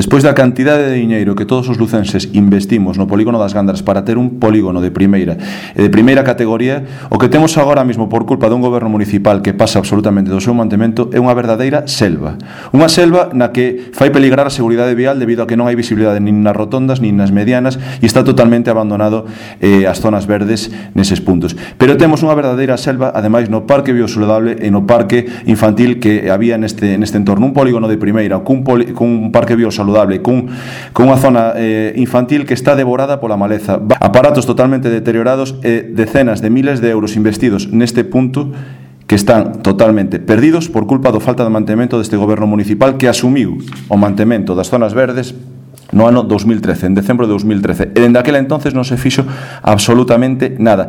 Despois da cantidade de diñeiro que todos os lucenses investimos no polígono das Gándaras para ter un polígono de primeira categoría, o que temos agora mesmo por culpa dun goberno municipal que pasa absolutamente do seu mantemento é unha verdadeira selva. Unha selva na que fai peligrar a seguridade vial debido a que non hai visibilidade nin nas rotondas nin nas medianas e está totalmente abandonado as zonas verdes neses puntos. Pero temos unha verdadeira selva, ademais, no parque biosaludable e no parque infantil que había neste entorno. Un polígono de primeira, cun parque biosaludable, cunha zona infantil que está devorada pola maleza. Aparatos totalmente deteriorados e decenas de miles de euros investidos neste punto que están totalmente perdidos por culpa do falta de mantemento deste goberno municipal que asumiu o mantemento das zonas verdes no ano 2013, en decembro de 2013. E dende aquela entonces non se fixo absolutamente nada.